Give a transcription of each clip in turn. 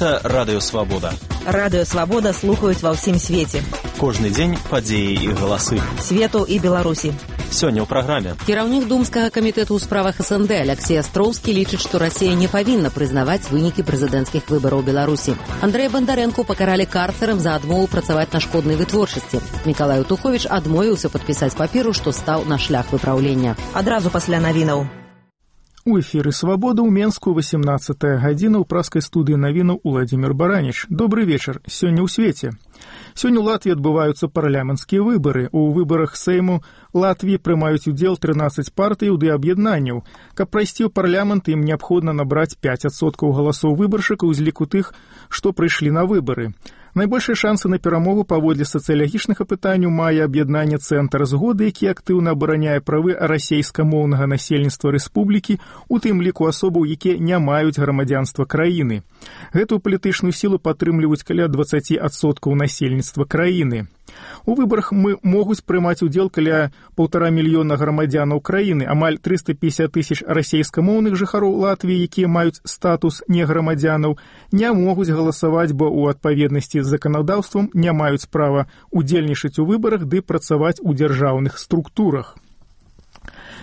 Гэта Радыё Свабода. Радыё Свабода слухаюць ва ўсім свеце. Кожны дзень падзеі і галасы. Свету і Беларусі. Сёння ў праграме. Кіраўнік Думскага камітэту ў справах СНД Алексей Астроўскі лічыць, што Расія не павінна прызнаваць вынікі прэзідэнцкіх выбараў Беларусі. Андрэя Бандарэнку пакаралі карцерам за адмову працаваць на шкоднай вытворчасці. Мікалай Утуховіч адмовіўся падпісаць паперу, што стаў на шлях выпраўлення. Адразу пасля навінаў. У эфіры «Свабода» ў Менску 18-я гадзіна ў праскай студыі навінаў Уладзімір Бараніч. Добры вечар. Сёння ў свеце. Сёння ў Латвіі адбываюцца парламенцкія выбары. У выбарах Сейму Латвіі прымаюць удзел 13 партыяў ды аб'яднанняў. Каб прайсці ў парламент, ім неабходна набраць 5% галасоў выбаршчыкаў з ліку тых, што прыйшлі на выбары. Найбольшыя шансы на перамогу паводле сацыялагічнага пытанняў мае аб'яднанне «Цэнтр згоды», які актыўна абараняе правы расейскамоўнага насельніцтва рэспублікі, у тым ліку асобаў, якія не маюць грамадзянства краіны. Гэтую палітычную сілу падтрымліваюць каля 20% насельніцтва краіны. У выбарах могуць прымаць удзел каля 1,5 мільёна грамадзянаў краіны, амаль 350 тысяч расейскамоўных жыхароў Латвіі, якія маюць статус неграмадзянаў, не могуць галасаваць, бо ў адпаведнасці з заканадаўствам не маюць права удзельнічаць у выбарах ды працаваць у дзяржаўных структурах.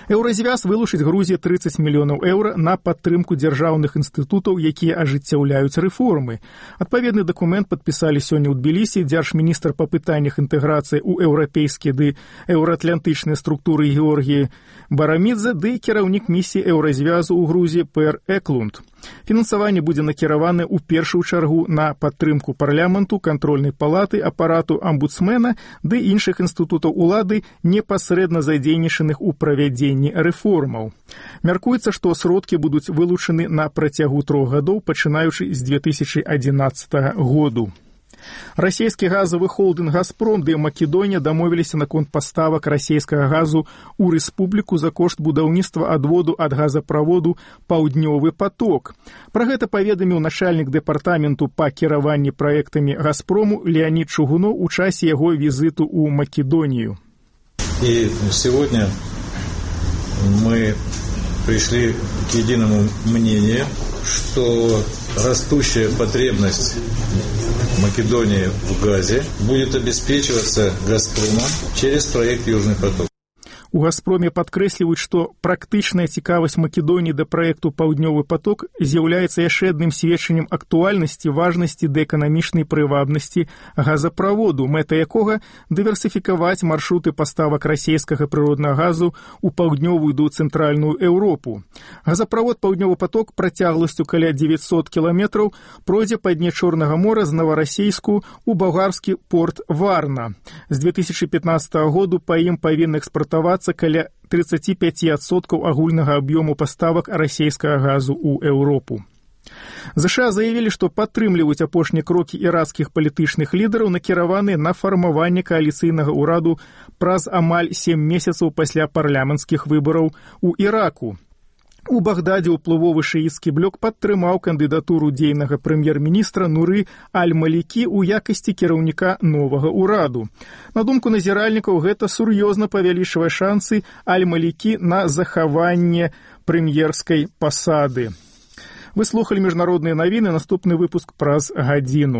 Еўразвяз вылучыць Грузіі 30 мільёнаў еўра на падтрымку дзяржаўных інстытутаў, якія ажыццяўляюць рэформы. Адпаведны дакумент падпісалі сёння ў Тбілісі дзяржміністр па пытаннях інтэграцыі ў еўрапейскія ды еўраатлантычныя структуры Георгіі Барамідзе ды кіраўнік місіі Еўразвязу ў Грузіі Пэр Эклунд. Фінансаванне будзе накіраваны ў першую чаргу на падтрымку парламенту, кантрольнай палаты, апарату амбудсмена ды іншых інстытутаў улады, непасрэдна задзейнічаных у правядзенні рэформаў. Мяркуецца, што сродкі будуць вылучаны на працягу 3 гадоў, пачынаючы з 2011 году. Расійскі газавы холдынг «Газпром» ды Македонія дамовіліся наконт паставак расійскага газу ў рэспубліку за кошт будаўніцтва адводу ад газаправоду «Паўднёвы поток». Пра гэта паведаміў начальнік дэпартаменту па кіраванні праектамі «Газпрому» Леонид Чугунов у часе яго візіту ў Македонію. И сегодня мы пришли к единому мнению, что растущая потребность Македонии в газе будет обеспечиваться «Газпромом» через проект «Южный поток». У «Газпроме» падкрэсліваюць, што практычная цікавасць Македоніі да праекту «Паўднёвы поток» з'яўляецца яшчэ адным сведчаннем актуальнасці, важнасці ды эканамічнай прывабнасці газаправоду, мэта якога дыверсіфікаваць маршруты паставак расійскага прыроднага газу ў паўднёвую ды цэнтральную Еўропу. Газаправод «Паўднёвы поток» працягласцю каля 900 кіламетраў пройдзе па дне Чорнага мора з Новарасейску ў балгарскі порт Варна. З 2015 году па ім павінны экспартавацца каля 35% агульнага аб'ёму паставак расійскага газу ў Еўропу. ЗША заявілі, што падтрымліваюць апошнія крокі іракскіх палітычных лідараў, накіраваныя на фармаванне кааліцыйнага ўраду праз амаль 7 месяцаў пасля парламенцкіх выбараў у Іраку. У Багдадзе ўплывовы шыіцкі блок падтрымаў кандыдатуру дзейнага прэм'ер-міністра Нуры Аль-Малікі ў якасці кіраўніка новага ўраду. На думку назіральнікаў, гэта сур'ёзна павялічвае шансы Аль-Малікі на захаванне прэм'ерскай пасады. Вы слухалі міжнародныя навіны, наступны выпуск праз гадзіну.